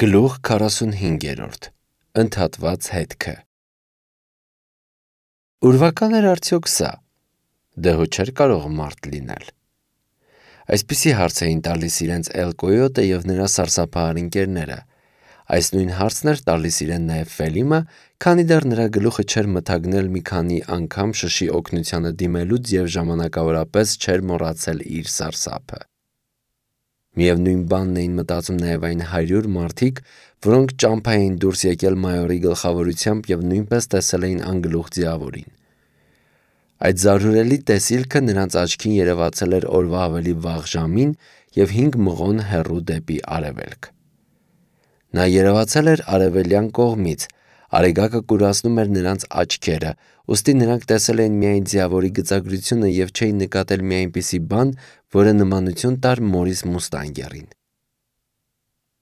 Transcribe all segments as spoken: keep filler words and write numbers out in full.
Գլուխ քառասունհինգերորդ. Ընդհատված հետքը։ Ուրվական էր արդյոք սա։ Դե հո չէր կարող մարդ լինել։ Այսպիսի հարց էին տալիս իրենց Էլ Կոյոտը և նրա սարսափահար ընկերները։ Այս նույն հարցն էր տալիս իրեն նաև Ֆելիմը, քանի դեռ նրա գլուխը չէր մթագնել մի քանի անգամ շշի օգնությանը դիմելուց և ժամանակավորապես չէր մոռացել իր սարսափը։ Միևնույն բանն էին մտածում նաև այն հարյուր մարդիկ, որոնք ճամփա էին դուրս եկել մայորի գլխավորությամբ և նույնպես տեսել էին անգլուխ ձիավորին։ Այդ զարհուրելի տեսիլքը նրանց աչքին երևացել էր օրվա ավելի վաղ ժամին և հինգ մղոն հեռու դեպի արևելք։ Նա երևացել էր արևելյան կողմից, արեգակը կուրացնում էր նրանց աչքերը, ուստի նրանք տեսել էին միայն ձիավորի գծագրությունը և չէին նկատել մի այնպիսի բան, որը նմանություն տար Մորիս Մուստանգերին։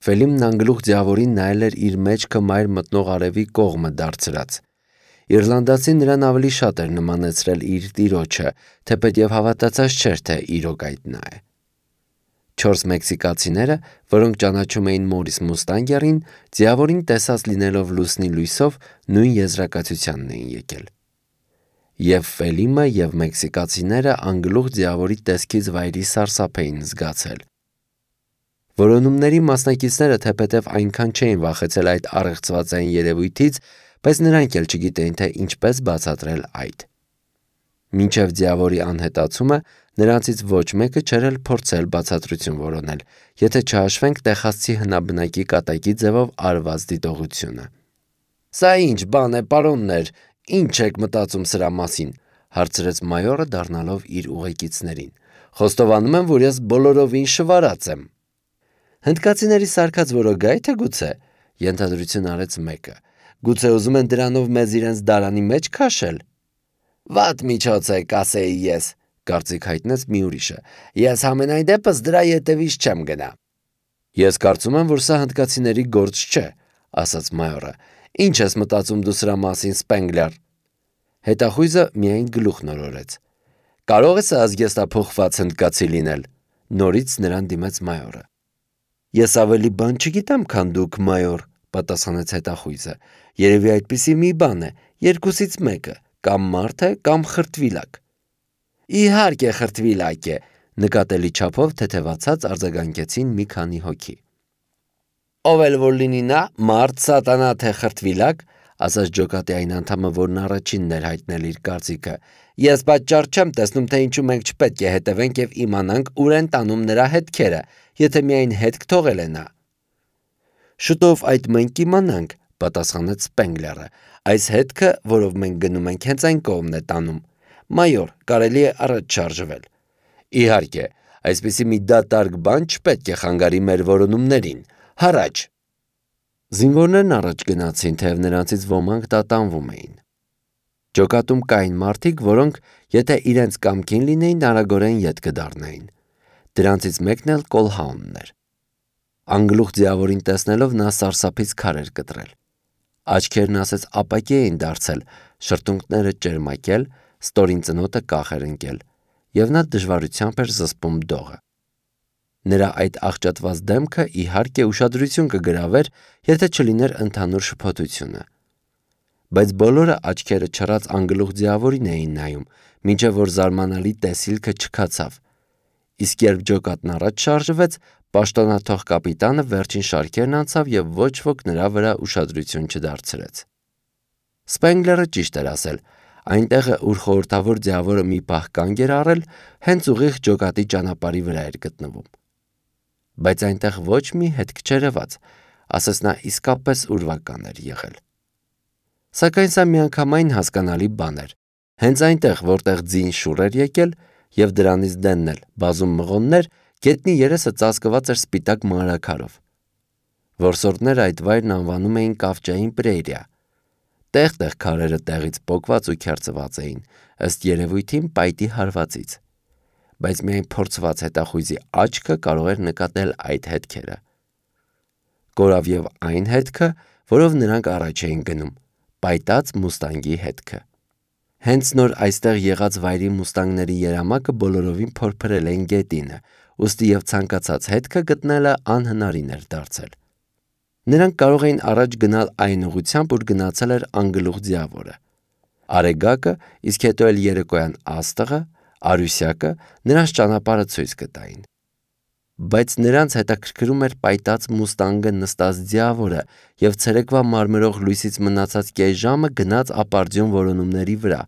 Ֆելիմն անգլուխ ձիավորին նայել էր իր մեջքը մայր մտնող արևի կողմը դարձրած։ Իռլանդացին նրան ավելի շատ էր նմանեցրել իր տիրոջը, թեպետև հավատացած չէր, թե իրոք այդ նա է։ Չորս մեքսիկացիները, որոնք ճանաչում էին Մորիս Մուստանգերին, ձիավորին տեսած լինելով լուսնի լույսով, նույն եզրակացությանն էին եկել։ Եվ Ֆելիմը և մեքսիկացիները անգլուխ ձիավորի տեսքից վայրի սարսափ էին զգացել։ Որոնումների մասնակիցները թեպետև այնքան չէին վախեցել այդ առեղծվածային երևույթից, բայց նրանք էլ չգիտեին, թե ինչպես բացատրել այդ։ Մինչև ձիավորի անհետացումը նրանցից ոչ մեկը չէր էլ փորձել բացատրություն որոնել, եթե չհաշվենք տեխասցի հնաբնակի կատակի ձևով արված դիտողությունը։ «Սա ինչ բան է, պարոններ, ինչ եք մտածում սրա մասին», հարցրեց մայորը, դառնալով իր ուղեկիցներին։ «Խոստովանում եմ, որ ես բոլորովին շվարած եմ»։ «Հնդկացիների սարքած որոգա՞, թե գուցե», ենթադրություն արեց մեկը։ «Գուցե ուզում են դրանով մեզ իրենց դարանի մեջ քաշել»։ «Վատ միջոց է, կասեի ես», կարծիք հայտնեց մի ուրիշը։ «Ես համենայն դեպս դրա ետևից չեմ գնա»։ «Ես կարծում եմ, որ սա հնդկացիների գործ չէ», ասաց մայորը։ «Ինչ ես մտածում դու սրա մասին, Սպենգլեր»։ Հետախույզը միայն գլուխ նորորեց։ «Կարող է սա ազգեստափոխված հնդկացի լինել», նորից նրան դիմեց մայորը։ «Ես ավելի բան չգիտեմ, քան դուք, մայոր», պատասխանեց հետախույզը։ «Երևի այդպիսի մի բան է, երկուսից մեկը, կամ մարդ է, կամ խրտվիլակ»։ «Իհարկե խրտվիլակ է», նկատելի չափով թեթևացած արձագանքեցին մի քանի հոգի։ «Ով էլ որ լինի նա, մարդ, սատանա, թե խրտվիլակ», ասաց ջոկատի այն անդամը, որն առաջինն էր հայտնել իր կարծիքը, «ես պատճառ չեմ տեսնում, թե ինչու մենք չպետք է հետևենք և իմանանք ուր են տանում նրա հետքերը, եթե միայն հետք թողել է նա»։ «Շուտով այդ մենք կիմանանք», պատասխանեց Սպենգլերը։ «Այս հետքը, որով մենք գնում ենք, հենց այն կողմն է տանում։ Մայոր, կարելի է առաջ շարժվել»։ «Իհարկե, այսպիսի մի դատարկ բան չպետք է խանգարի մեր որոնումներին։ Հառաչ»։ Զինվորներն առաջ գնացին, թեև նրանցից ոմանք տատանվում էին։ Ջոկատում կային մարդիկ, որոնք, եթե իրենց կամքին լինեին, արագորեն ետ կդառնային։ Դրանցից մեկն էլ Կոլհաունն էր։ Անգլուխ ձիավորին տեսնելով նա սարսափից քար էր կտրել։ Աչքերն ասես ապակի էին դարձել, շրթունքները ճերմակել, ստորին ծնոտը կախ էր ընկել, և նա դժվարությամբ էր զսպում դողը։ Նրա այդ աղճատված դեմքը, իհարկե, ուշադրություն կգրավեր, եթե չլիներ ընդհանուր շփոթությունը։ Բայց բոլորը աչքերը չռած անգլուխ ձիավորին էին նայում, մինչև որ զարմանալի տեսիլքը չքացավ։ Իսկ երբ ջոկատն առաջ շարժվեց, պաշտոնաթող կապիտանը վերջին շարքերն անցավ և ոչ ոք նրա վրա ուշադրություն չդարձրեց։ Սպենգլերը ճիշտ էր ասել։ Այնտեղը, ուր խորհրդավոր ձիավորը մի պահ կանգ էր առել, հենց ուղիղ ջոկատի ճանապարհի վրա էր գտնվում։ Բայց այնտեղ ոչ մի հետք չերևաց, ասես նա իսկապես ուրվական էր եղել։ Սակայն սա միանգամայն հասկանալի բան էր։ Հենց այնտեղ, որտեղ ձին շուռ էր եկել, և դրանից դենն էլ բազում մղոններ, գետնի երեսը ծածկված էր սպիտակ մանրաքարով։ Որսորդները այդ վայրն անվանում էին Կավճային պրերիա։ Տեղ-տեղ քարերը տեղից պոկված ու քերծված էին, ըստ երևույթին պայտի հարվածից։ Բայց միայն փորձված հետախույզի աչքը կարող էր նկատել այդ հետքերը։ Կորավ և այն հետքը, որով նրանք առաջ էին գնում, պայտած մուստանգի հետքը։ Հենց նոր այստեղ եղած վայրի մուստանգների երամակը բոլորովին փորփրել էին գետինը, ուստի և ցանկացած հետքը գտնելը անհնարին էր դարձել։ Նրանք կարող էին առաջ գնալ այն ուղղությամբ, ուր գնացել էր անգլուխ ձիավորը։ Արեգակը, իսկ հետո էլ երեկոյան աստղը, Արուսյակը նրանց ճանապարհը ցույց կտային։ Բայց նրանց հետաքրքրում էր պայտած մուստանգը նստած ձիավորը և ցերեկվա մարմրող լույսից մնացած կես ժամը գնաց ապարդյուն որոնումների վրա,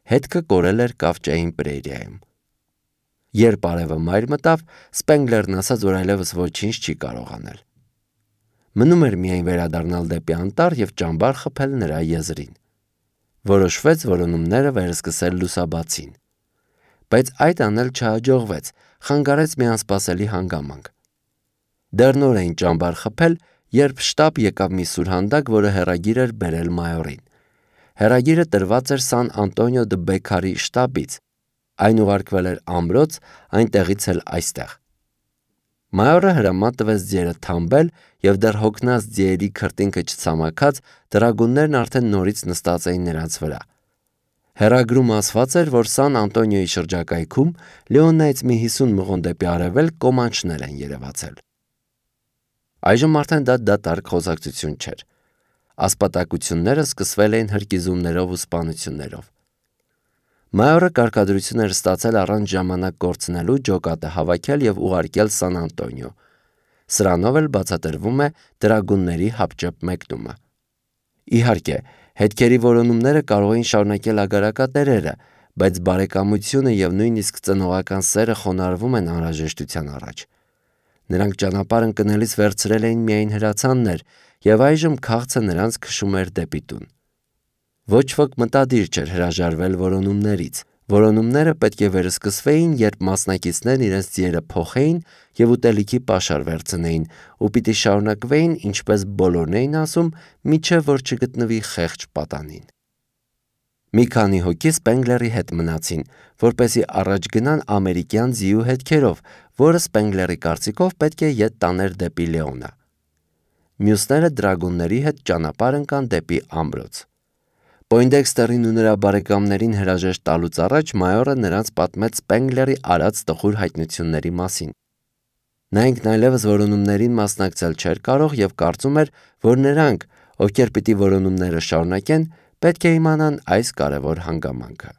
հետքը կորել էր կավճային պրերիայում։ Երբ արևը մայր մտավ, Սպենգլերն ասաց, որ այլևս ոչինչ չի կարող անել։ Մնում էր միայն վերադառնալ դեպի անտառ և ճամբար խփել նրա եզրին։ Որոշվեց որոնումները վերսկսել լուսաբացին։ Բայց այդ անել չհաջողվեց, խանգարեց մի անսպասելի հանգամանք։ Դեռ նոր էին ճամբար խփել, երբ շտապ եկավ մի սուրհանդակ, որը հեռագիր էր բերել մայորին։ Հեռագիրը տրված էր Սան Անտոնիո դը Բեքարի շտաբից։ Այն ուղարկվել էր ամրոց, այնտեղից էլ այստեղ։ Մայորը հրաման տվեց ձիերը թամբել, և դեռ հոգնած ձիերի քրտինքը չցամաքած, դրագուններն արդեն նորից նստած էին նրանց վրա։ Հեռագրում ասված էր, որ Սան Անտոնիոյի շրջակայքում Լեոնայից մի հիսուն մղոն դեպի արևելք կոմանչներ են երևացել։ Այժմ արդեն դա դատարկ խոսակցություն չէր։ Ասպատակությունները սկսվել էին հրկիզումներով ու սպանություններով։ Մայորը կարգադրություն էր ստացել առանց ժամանակ կորցնելու ջոկատը հավաքել և ուղարկել Սան Անտոնիո։ Սրանով էլ բացատրվում է դրագունների հապճեպ մեկնումը։ Իհարկե, հետքերի որոնումները կարող էին շարունակել ագարակատերերը, բայց բարեկամությունը և նույնիսկ ծնողական սերը խոնարհվում են անհրաժեշտության առաջ։ Նրանք ճանապարհ ընկնելիս վերցրել էին միայն հրացաններ, և այժմ քաղցը նրանց քշում էր դեպի տուն։ Ոչ ոք մտադիր չէր հրաժարվել որոնումներից։ Որոնումները պետք է վերսկսվեին, երբ մասնակիցներն իրենց ձիերը փոխեին և ուտելիքի պաշար վերցնեին, ու պիտի շարունակվեին, ինչպես բոլորն էին ասում, մինչև որ չգտնվի խեղճ պատանին։ Մի քանի հոգի Սպենգլերի հետ մնացին, որպեսզի առաջ գնան ամերիկյան ձիու հետքերով, որը Սպենգլերի կարծիքով պետք է ետ տաներ դեպի Լեոնը։ Մյուսները դրագունների հետ ճանապարհ ընկան դեպի ամրոց։ Պոյնդեքստերին ու նրա բարեկամներին հրաժեշտ տալուց առաջ մայորը նրանց պատմեց Սպենգլերի արած տխուր հայտնությունների մասին։ Նա ինքն այլևս որոնումներին մասնակցել չէր կարող և կարծում էր, որ նրանք, ովքեր պիտի որոնումները շարունակեն, պետք է իմանան այս կարևոր հանգամանքը։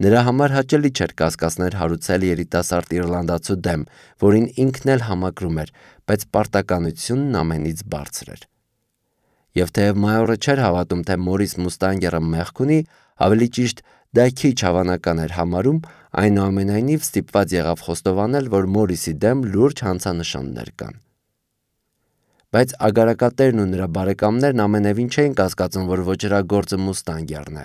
Նրա համար հաճելի չէր կասկածներ հարուցել երիտասարդ իռլանդացու դեմ, որին ինքն էլ համակրում էր, բայց պարտականությունն ամենից բարձր էր։ Եվ թեև մայորը չէր հավատում, թե Մորիս Մուստանգերը մեղք ունի, ավելի ճիշտ դա քիչ հավանական էր համարում, այնուամենայնիվ ստիպված եղավ խոստովանել, որ Մորիսի դեմ լուրջ հանցանշաններ կան։ Բայց ագարակատերն ու նրա բարեկամներն ամենևին չէին կասկածում, որ ոճրագործը Մուստանգերն է։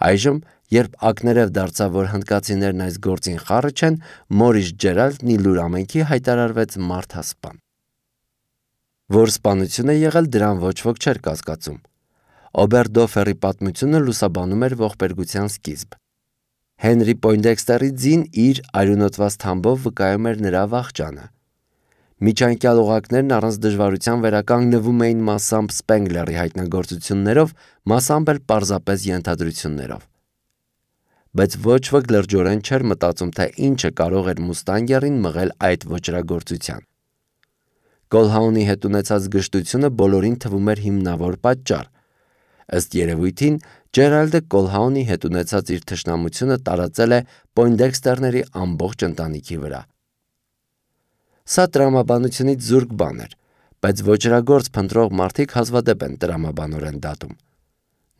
Այժմ, երբ ակներև դարձավ, որ հնդկացիներն այս գործին խառը չեն, Մորիս Ջերալդն ի լուր ամենքի հայտարարվեց մարդասպան։ Որ սպանություն է եղել, դրան ոչ ոք չէր կասկածում։ Օբերդոֆերի պատմությունը լուսաբանում էր ողբերգության սկիզբ։ Հենրի Պոյնդեքստերի ձին իր արյունոտված թամբով վկայում էր նրա վախճանը։ Միջանկյալ օղակներն առանց դժվարության վերականգնվում էին մասամբ Սպենգլերի հայտնագործություններով, մասամբ էլ պարզապես ենթադրություններով։ Բայց ոչ ոք լրջորեն չէր մտածում, թե ինչը կարող էր Մուստանգերին մղել այդ ոճրագործության։ Կոլհաունի հետ ունեցած գժտությունը բոլորին թվում էր հիմնավոր պատճառ։ Ըստ երևույթին, Ջերալդը Կոլհաունի հետ ունեցած իր թշնամությունը տարածել է Պոյնդեքստերների ամբողջ ընտանիքի վրա։ Սա տրամաբանությունից զուրկ բան էր, բայց ոճրագործ փնտրող մարդիկ հազվադեպ են տրամաբանորեն դատում։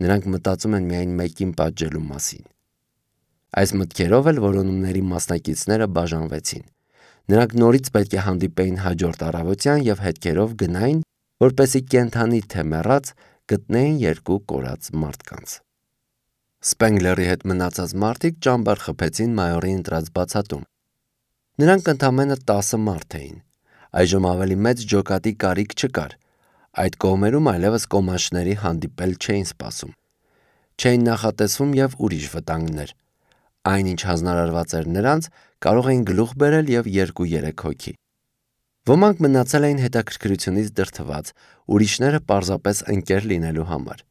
Նրանք մտածում են միայն մեկին պատժելու մասին։ Այս մտքերով էլ որոնումների մասնակիցները բաժանվեցին։ Նրանք նորից պետք է հանդիպեին հաջորդ առավոտյան և հետքերով գնային, որպեսզի կենդանի թե մեռած գտնեին երկու կորած մարդկանց։ Սպենգլերի հետ մնացած մարդիկ ճամբար խփեցին մայորի ընտրած բացատում։ Նրանք ընդամենը տասը մարդ էին։ Այժմ ավելի մեծ ջոկատի կարիք չկար։ Այդ կողմերում այլևս կոմանչների հանդիպել չէին սպասում։ Չէին նախատեսվում և ուրիշ վտանգներ։ Այնինչ հանձնարարված էր նրանց, կարող էին գլուխ բերել և երկու-երեք հոգի։ Ոմանք մնացել էին հետաքրքրությունից դրդված, ուրիշները պարզապես ընկեր լինելու համար։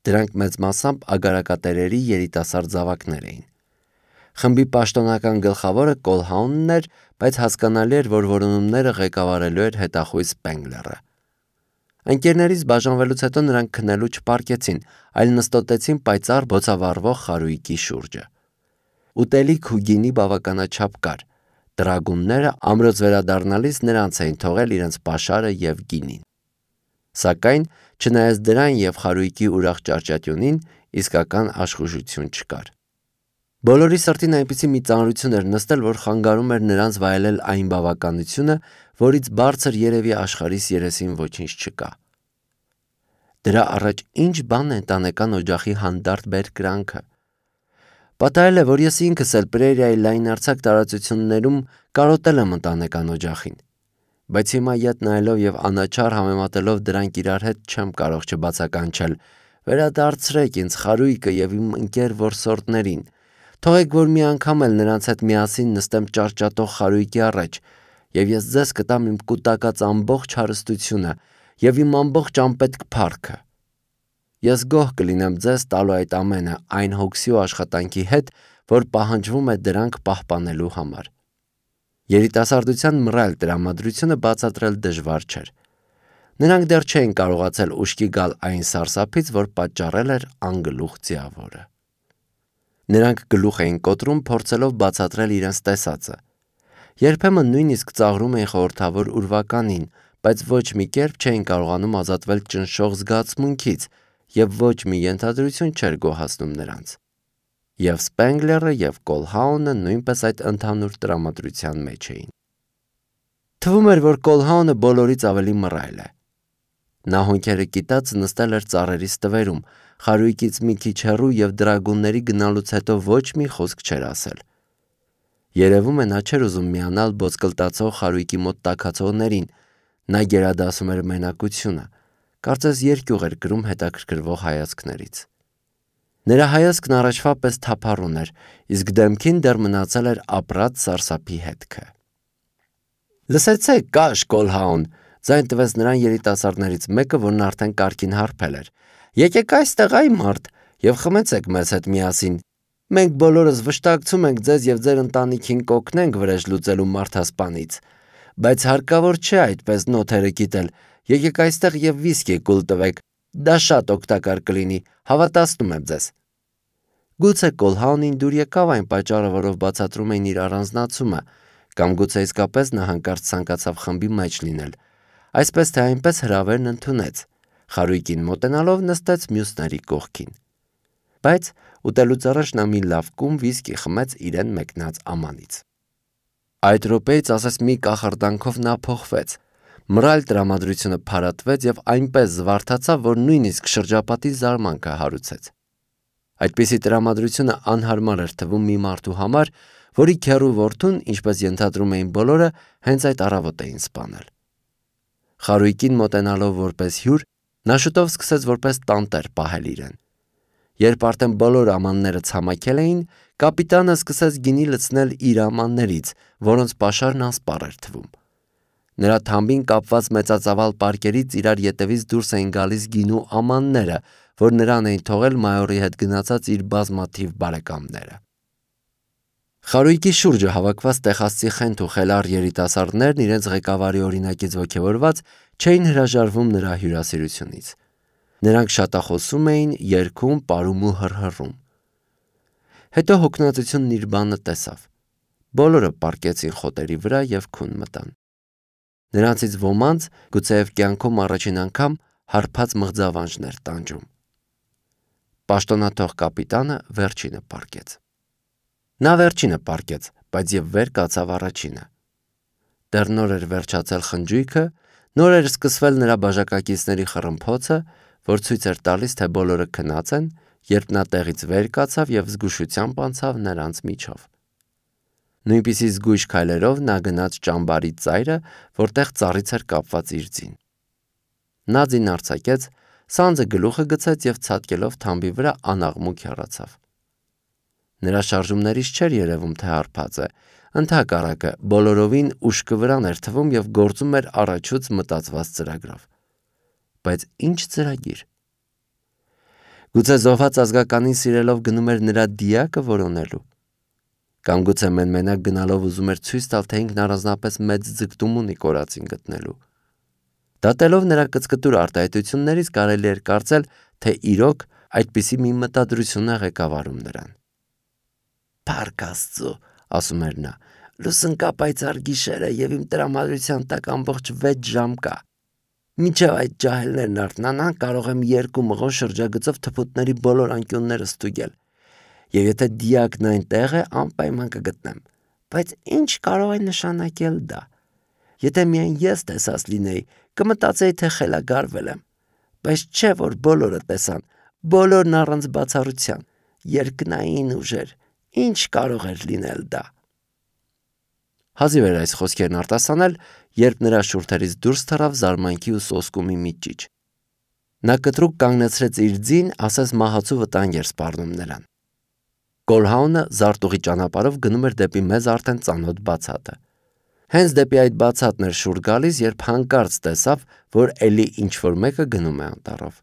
Դրանք մեծ մասամբ ագարակատերերի երիտասարդ զավակներ էին։ Խմբի պաշտոնական գլխավորը Կոլհաունն էր, բայց հասկանալի էր, որ որոնումները ղեկավարելու էր հետախույզ Սպենգլերը։ Ընկերներից բաժանվելուց հետո նրանք քնելու չպարկեցին, այլ նստոտեցին պայծառ բոցավառվող խարույկի շուրջը։ Ուտելիք ու գինի բավականաչափ կար։ Տրագունները ամրոց վերադառնալիս նրանց էին թողել իրենց պաշարը եւ գինին։ Սակայն, չնայած դրան եւ խարույկի ուրախ ճարճատյունին, իսկական աշխուժություն չկար։ Բոլորի սրտին այնպիսի մի ծանրություն էր նստել, որ խանգարում էր նրանց վայելել այն բավականությունը, որից բարձր երևի աշխարհիս երեսին ոչինչ չկա։ Դրա առաջ ինչ բան է ընտանեկան օջախի հանդարտ բերկրանքը։ Պատահել է, որ ես ինքս էլ Պրերիայի լայնարձակ տարածություններում կարոտել եմ ընտանեկան օջախին, բայց հիմա ետ նայելով եւ անաչառ համեմատելով դրանք իրար հետ չեմ կարող չբացականչել. վերադարձրեք ինձ խարույկը եւ իմ ընկեր որսորդներին, թողեք, որ մի անգամ էլ նրանց հետ միասին նստեմ ճարճատող խարույկի առաջ, եւ ես ձեզ կտամ իմ կուտակած ամբողջ հարստությունը եւ իմ ամբողջ անպետք փառքը։ Ես գոհ կլինեմ ձեզ տալու այդ ամենը այն հոգսի ու աշխատանքի հետ, որ պահանջվում է դրանք պահպանելու համար։ Երիտասարդության մռայլ տրամադրությունը բացատրել դժվար չէր։ Նրանք դեռ չէին կարողացել ուշքի գալ այն սարսափից, որ պատճառել էր անգլուխ ձիավորը։ Նրանք գլուխ էին կոտրում, փորձելով բացատրել իրենց տեսածը։ Երբեմն նույնիսկ ծաղրում էին խորհրդավոր ուրվականին, բայց ոչ մի կերպ չէին կարողանում ազատվել ճնշող զգացմունքից, եւ ոչ մի ենթադրություն չէր գոհացնում նրանց։ Եվ Սպենգլերը եւ Կոլհաունը նույնպես այդ ընդհանուր տրամադրության մեջ էին։ Թվում էր, որ Կոլհաունը բոլորից ավելի մռայլ է։ Նա հոնքերը կիտած նստել էր ծառերի ստվերում, խարույկից մի քիչ հեռու եւ դրագունների գնալուց հետո ոչ մի խոսք չէր ասել։ Երևում է նա չէր ուզում միանալ բոցկլտացող խարույկի մոտ տաքացողներին, նա գերադասում էր մենակությունը, կարծես երկյուղ էր կրում հետաքրքրվող հայացքներից։ Նրա հայացքն առաջվա պես թափառուն էր, իսկ դեմքին դեռ մնացել էր ապրած սարսափի հետքը։ Լսեցեք, Կաշ Կոլհաուն, ձայն տվեց նրան երիտասարդներից մեկը, որն արդեն կարգին հարբել էր։ Եկեք այստեղ այ մարդ եւ խմեցեք մեզ հետ միասին։ Մենք բոլորս վշտակցում ենք ձեզ եւ ձեր ընտանիքին կօգնենք վրեժ լուծելու մարդասպանից, բայց հարկավոր չէ այդպես նոթերը կիտել։ Եկեք այստեղ եւ վիսկի կուլ տվեք, դա շատ օգտակար կլինի, հավատացնում եմ ձեզ։ Գուցե Կոլհաունին դուր եկավ այն պատճառը, որով բացատրում էին իր առանձնացումը, կամ գուցե իսկապես նա հանկարծ ցանկացավ խմբի մեջ լինել, այսպես թե այնպես հրավերն ընդունեց, խարույկին մոտենալով նստեց մյուսների կողքին։ Բայց ուտելուց առաջ նա մի լավ կում վիսկի խմեց իրեն մեկնած ամանից։ Այդ րոպեից ասես մի կախարդանքով նա փոխվեց։ Մռայլ տրամադրությունը փարատվեց եւ այնպես զվարթացավ, որ նույնիսկ շրջապատի զարմանքը հարուցեց։ Այդպիսի տրամադրությունը անհարմար էր թվում մի մարդու համար, որի քեռու որդուն, ինչպես ենթադրում էին բոլորը, հենց այդ առավոտ էին սպանել։ Խարույկին մոտենալով որպես հյուր, նա շուտով սկսեց որպես տանտեր պահել իրեն։ Երբ արդեն բոլոր ամանները ցամաքել էին, կապիտանը սկսեց գինի լցնել իր ամաններից, որոնց պաշարն անսպառ էր թվում։ Նրա թամբին կապված մեծածավալ պարկերից իրար ետևից դուրս էին գալիս գինու ամանները, որ նրան էին թողել մայորի հետ գնացած իր բազմաթիվ բարեկամները։ Խարույկի շուրջը հավաքված տեխասցի խենթ ու խելառ երիտասարդներն իրենց ղեկավարի օրինակից ոգևորված չէին հրաժարվում նրա հյուրասիրությունից։ Նրանք շատախոսում էին, երգում, պարում ու հռհռում։ Հետո հոգնածությունն իր բանը տեսավ։ Բոլորը պառկեցին խոտերի վրա եւ քուն մտան։ Նրանցից ոմանց գուցեև կյանքում առաջին անգամ հարբած մղձավանջներ տանջում։ Պաշտոնաթող կապիտանը վերջինը պառկեց։ Նա վերջինը պառկեց, բայց եւ վեր կացավ առաջինը։ Դեռ նոր էր վերջացել խնջույքը, նոր էր սկսվել նրա բաժակակիցների խռմփոցը, որ ցույց էր տալիս, թե բոլորը քնած են, երբ նա տեղից վեր կացավ եւ զգուշությամբ անցավ նրանց միջով։ Նույնպիսի զգույշ քայլերով նա գնաց ճամբարի ծայրը, որտեղ ծառից էր կապված իր ձին։ Նա ձին արձակեց, սանձը գլուխը գցեց եւ ցատկելով թամբի վրա անաղմուկ հեռացավ։ Նրա շարժումներից չէր երևում, թե հարբած է, ընդհակառակը բոլորովին ուշքը վրան էր թվում եւ գործում էր առաջուց մտածված ծրագրով։ Բայց ինչ ծրագիր։ Գուցե զոհված ազգականին սիրելով գնում էր նրա դիակը որոնելու։ Կամ գուցե մեն-մենակ գնալով ուզում էր ցույց տալ, թե ինքն առանձնապես մեծ ձգտում ունի կորածին գտնելու։ Դատելով նրա կծկտուր արտահայտություններից կարելի էր կարծել, թե իրոք այդպիսի մի մտադրություն է ղեկավարում նրան։ «Փառք Աստծո», ասում էր նա, «լուսնկա պայծառ գիշերը և իմ տրամադրության տակ ամբողջ վեց ժամ կա։ Մինչև այդ ջահելներն արթնանան, կարող եմ երկու մղոն շրջագծով թփուտների բոլոր անկյունները ստուգել, և եթե դիակն այնտեղ է, անպայման կգտնեմ։ Բայց ինչ կարող է նշանակել դա։ Եթե միայն ես տեսած լինեի, կմտածեի, թե խելագարվել եմ, բայց չէ, որ բոլորը տեսան, բոլորն առանց բացառության, երկնային ուժեր, ինչ կարող էր լինել դա»։ Հազիվ էր այս խոսքերն արտասանել, երբ նրա շուրթերից դուրս թռավ զարմանքի ու սոսկումի մի ճիչ։ Նա կտրուկ կանգնեցրեց իր ձին, ասես մահացու վտանգ էր սպառնում նրան։ Կոլհաունը զարտուղի ճանապարհով գնում էր դեպի մեզ արդեն ծանոթ բացատը։ Հենց դեպի այդ բացատն էր շուռ գալիս, երբ հանկարծ տեսավ, որ էլի ինչ-որ մեկը գնում է անտառով։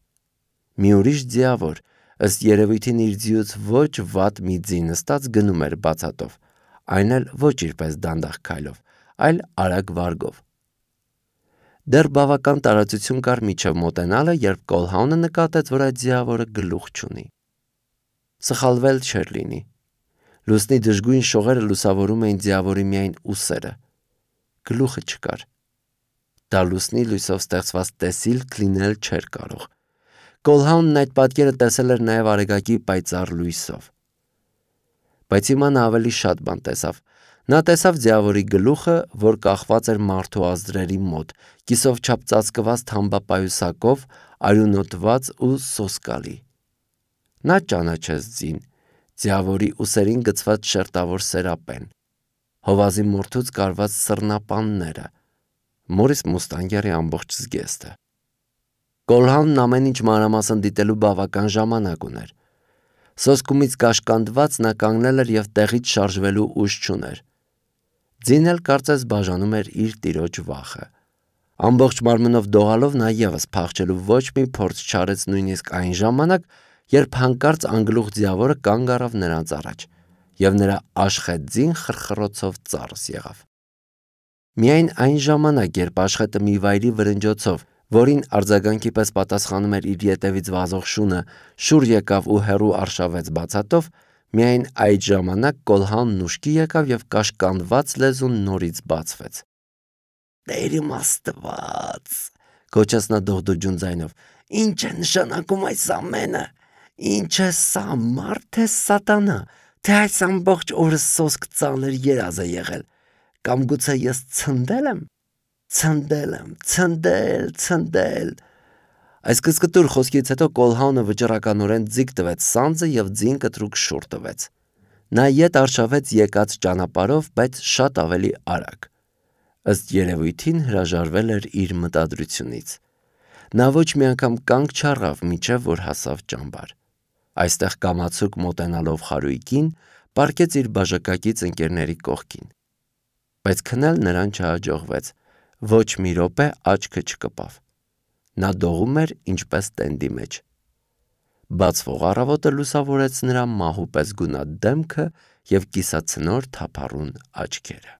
Մի ուրիշ ձիավոր, ըստ երևույթին իր ձիուց ոչ վատ մի ձի նստած գնում էր բացատով, այն էլ ոչ իրպես դանդաղ քայլով, այլ արագ վարգով։ Դեռ բավական տարածություն կար մինչև մոտենալը, երբ Կոլհաունը նկատեց, որ այդ ձիավորը գլուխ չունի։ Սխալվել չէր լինի։ Լուսնի դժգույն շողերը լուսավորում էին ձիավորի միայն ուսերը։ Գլուխը չկար։ Դա լուսնի լույսով ստեղծված տեսիլք լինել չէր կարող։ Կոլհաունն այդ պատկերը տեսել էր նաև արեգակի պայծառ լույսով։ Բայց հիմա նա ավելի շատ բան տեսավ։ Նա տեսավ ձիավորի գլուխը, որ կախված էր մարդու ազդրերի մոտ, կիսով չափ ծածկված թամբապայուսակով, արյունոտված ու սոսկալի։ Նա ճանաչեց ձին, ձիավորի ուսերին գցված շերտավոր սերապեն, հովազի մորթուց կարված սռնապանները, Մորիս Մուստանգերի ամբողջ զգեստը։ Կոլհաունն ամեն ինչ մանրամասն դիտելու բավական ժամանակ ուներ։ Սոսկումից կաշկանդված նա կանգնել էր և տեղից շարժվելու ուժ չուներ։ Ձին էլ կարծես բաժանում էր իր տիրոջ վախը։ Ամբողջ մարմնով դողալով նա ևս փախչելու ոչ մի փորձ չարեց նույնիսկ այն ժամանակ, երբ հանկարծ անգլուխ ձիավորը կանգ առավ նրանց առաջ, և նրա աշխետ ձին խրխրոցով ծառս եղավ։ Միայն այն ժամանակ, երբ աշխետը մի վայրի վրնջոցով, որին արձագանքի պես պատասխանում էր իր ետևից վազող շունը, շուռ եկավ ու հեռու արշավեց բացատով, միայն այդ ժամանակ Կոլհաունն ուշքի եկավ և կաշկանդված լեզուն նորից բացվեց։ «Տեր իմ Աստված», գոչեց նա դողդոջուն ձայնով, «ինչ է նշանակում այս ամենը։ Ինչ է սա, մարդ թե սատանա, թե այս ամբողջ օրը սոսկ ծանր երազ է եղել, կամ գուցե ես ցնդել եմ, ցնդել եմ, ցնդել, ցնդել»։ Այս կծկտուր խոսքից հետո Կոլհաունը վճռականորեն ձիգ տվեց սանձը և ձին կտրուկ շուռ տվեց։ Նա ետ արշավեց եկած ճանապարհով, բայց շատ ավելի արագ։ Ըստ երևույթին հրաժարվել էր իր մտադրությունից։ Նա ոչ մի անգամ կանգ չառավ, մինչև որ հասավ ճամբար։ Այստեղ կամացուկ մոտենալով խարույկին, պառկեց իր բաժակակից ընկերների կողքին։ Բայց քնել նրան չհաջողվեց։ Ոչ մի րոպե աչքը չկպավ։ Նա դողում էր ինչպես տենդի մեջ։ Բացվող առավոտը լուսավորեց նրա մահու պես գունատ դեմքը և կիսացնոր թափառուն աչքերը։